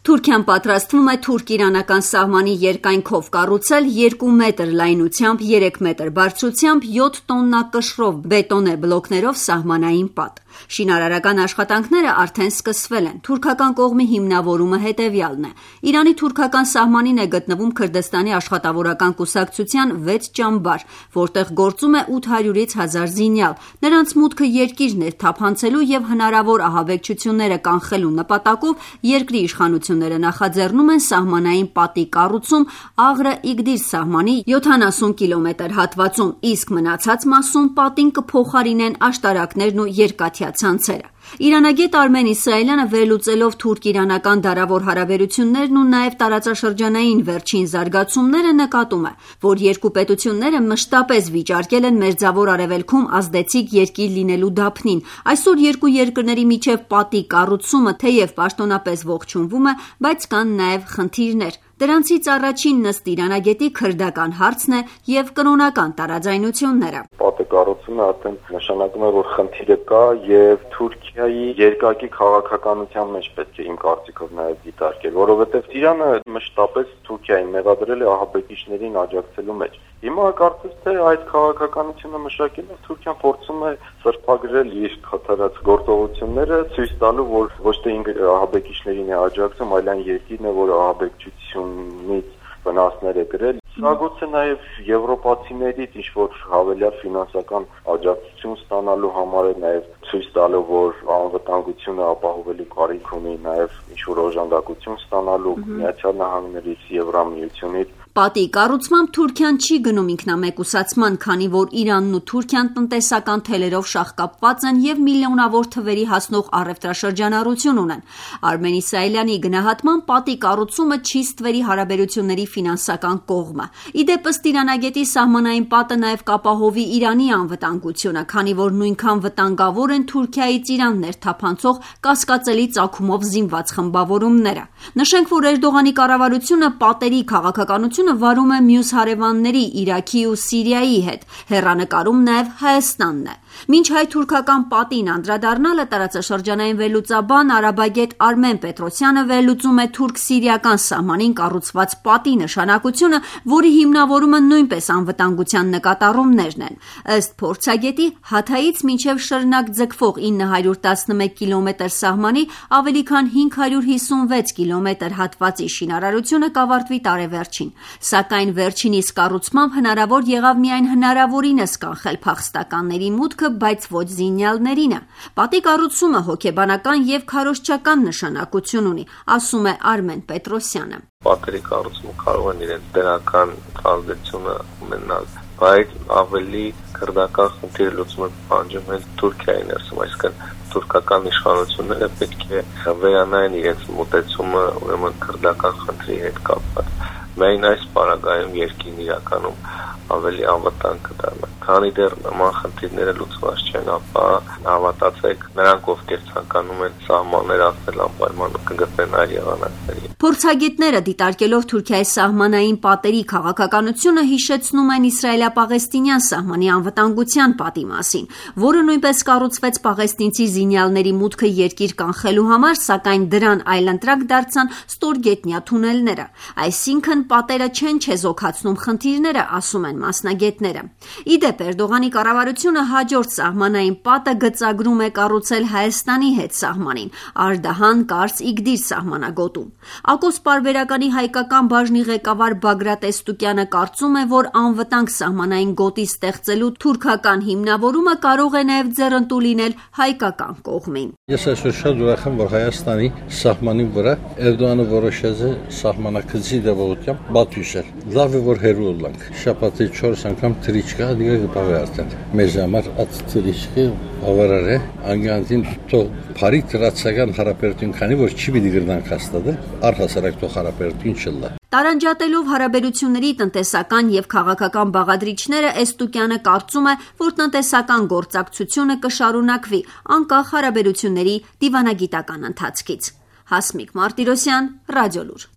Թուրքիան պատրաստվում է թուրք-իրանական սահմանի երկայնքով կառուցել 2 մետր լայնությամբ, 3 մետր բարձրությամբ, 7 տոննա կշռով բետոնե բլոկներով սահմանային պատ։ Շինարարական աշխատանքները արդեն սկսվել են։ Թուրքական կողմի հիմնավորումը հետևյալն է. Իրանի թուրքական սահմանին է գտնվում Քրդստանի աշխատավորական կուսակցության 6 ճամբար, որտեղ գործում է 800-ից 1000 զինյալ։ Նրանց մուտքը երկիրներ թափանցելու եւ հնարավոր ահաբեկչությունները կանխելու նպատակով երկրի իշխանությունները նախաձեռնում են սահմանային պատի կառուցում Աղրը-Իգդիր սահմանի 70 կիլոմետր հատվածում, իսկ մնացած մասում պատին կփոխարինեն աշտարակներն ու երկաթյա ցանցերը։ Իրանագետ Արմեն Իսրայելյանը վերլուծելով թուրք-իրանական դարավոր հարաբերություններն ու նաև տարածաշրջանային վերջին զարգացումները նկատում է, որ երկու պետությունները մշտապես վիճարկել են Մերձավոր Արևելքում ազդեցիկ երկիր լինելու դափնին։ Այսօր երկու երկրների միջև պատի կառուցումը թեև պաշտոնապես ողջունվում է, բայց կան նաև խնդիրներ։ Դրանցից առաջինն ըստ իրանագետի քրդական հարցն է եւ կրոնական տարաձայնությունները։ Պատը կառուցումը արդեն նշանակում է, որ խնդիրը կա եւ Թուրքիայի երկակի քաղաքականության մեջ պետք է իմ կարծիքով նաեւ դիտարկել, որովհետեւ Իրանը մշտապես Թուրքիային մեղադրել է ահաբեկիչներին աջակցելու մեջ։ Հիմա կարծես թե այդ քաղաքականությունը մշակելով Թուրքիան փորձում է սրբագրել իր խաթարած գործողությունները, ցույց տալու, որ ոչ թե ինքը ահաբեկիչներին է աջակցում, այլ այն երկիրն է, որ ահաբեկչությունից վնասներ է կրել։ Սա գուցե նաև եվրոպացիներից ինչ-որ հավելյալ ֆինանսական աջակցություն ստանալու համար է, նաև ցույց տալու, որ անվտանգությունը ապահովելու կարիք ունի, նաև ինչ-որ օժանդակություն ստանալու Միացյալ Նահանգներից, Եվրամիությունից։ Պատի կառուցմամբ Թուրքիան չի գնում ինքնամեկուսացման, քանի որ Իրանն ու Թուրքիան տնտեսական թելերով շաղկապված են եւ միլիոնավոր թվերի հասնող առևտրաշրջանառություն ունեն։ Արմեն Իսրայելյանի գնահատման պատի կառուցումը չի ստվերի հարաբերությունների ֆինանսական կողմը։ Իդեպ ըստ իրանագետի սահմանային պատը նաեւ կապահովի Իրանի անվտանգությունը, քանի որ նույնքան վտանգավոր են Թուրքիայից Իրան ներթափանցող կասկածելի ծագումով զինված խմբավորումները։ Նշենք, որ Էրդողանի կառավարությունը պատերի քաղաքականությունը վարում է մյուս հարևանների Իրաքի ու Սիրիայի հետ, հեռանկարում նաև Հայաստանն է։ Մինչ հայ-թուրքական պատին անդրադառնալը տարածաշրջանային վերլուծաբան արաբագետ Արմեն Պետրոսյանը վերլուծում է թուրք-սիրիական սահմանին կառուցված պատի նշանակությունը, որի հիմնավորումը նույնպես անվտանգության նկատառումներն են։ Ըստ փորձագետի, Հաթայից մինչև Շռնակ ձգվող 911 կիլոմետր սահմանի ավելի քան 556 կիլոմետր հատվածի շինարարությունը կավարտվի տարեվերջին, սակայն վերջինիս կառուցմամբ հնարավոր եղավ միայն հնարավորինս կանխել փախստականների մուտքը, բայց ոչ զինյալներինը։ Պատի կառուցումը հոգեբանական եւ քարոզչական նշանակություն ունի, ասում է Արմեն Պետրոսյանը։ Պատերի կառուցումը կարող են իրենց դրական ազդեցությունը ունենալ, բայց ավելի քրդական խնդիրը լուծումը պահանջում են Թուրքիայի ներսում, այսինքն թուրքական իշխանությունները պետք է վերանային իրենց մոտեցումը ուրեմն քրդական խնդրի հետ կապված։ Միայն այս պարագայում երկիրն իրականում ավելի անվտանգ կդառնա։ Քանի դեռ նման խնդիրները լուծված չեն, ապա հավատացեք, նրանք ովքեր ցանկանում են սահմաններ ասել անպայման կգտնեն այլ եղանակների։ Փորձագետները դիտարկելով Թուրքիայի սահմանային պատերի քաղաքականությունը հիշեցնում են իսրայելա-պաղեստինյան սահմանի անվտանգության պատի մասին, որը նույնպես կառուցվեց պաղեստինցի զինյալների մուտքը երկիր կանխելու համար, սակայն դրան այլընտրակ դարձան ստորգետնյա թունելները։ Այսինքն պատերը չեն չեզոքացնում խնդիրները, ասում են մասնագետները։ Իդեպ Էրդողանի կառավարությունը հաջորդ սահմանային պատը գծագրում է կառուցել Հայաստանի հետ սահմանին, Արդահան-Կարս-Իգդիր սահմանագոտում։ Ակոս պարբերականի հայկական բաժնի ղեկավար Բագրատ Էստուկյանը կարծում է, որ անվտանգ սահմանային գոտի ստեղծելու թուրքական հիմնավորումը կարող է նաև ձեռնտու լինել հայկական կողմին։ Ես այսօր շատ ուրախ եմ, որ Հայաստանի սահմանի վրա Էրդողանը որոշել է սահմանակցի դեպությամբ բաց հյուսել։ Լավ է, որ հերու լանք։ Շաբաթի 4 անգամ թրիչկա դիգա գտավ արդեն։ Մեզ համար այդ թրիչկը բավարար է, անգանտին թող բարի տրացական հարաբերություն քանի որ չի պիտի գրնանք հաստատել, առհասարակ թող հարաբերություն չլա։ Տարանջատելով հարաբերությունների տնտեսական եւ քաղաքական բաղադրիչները, Էստուկյանը կարծում է, որ տնտեսական գործակցությունը կշարունակվի անկախ հարաբերությունների դիվանագիտական ընթացքից։ Հասմիկ Մարտիրոսյան, Ռադիոլուր։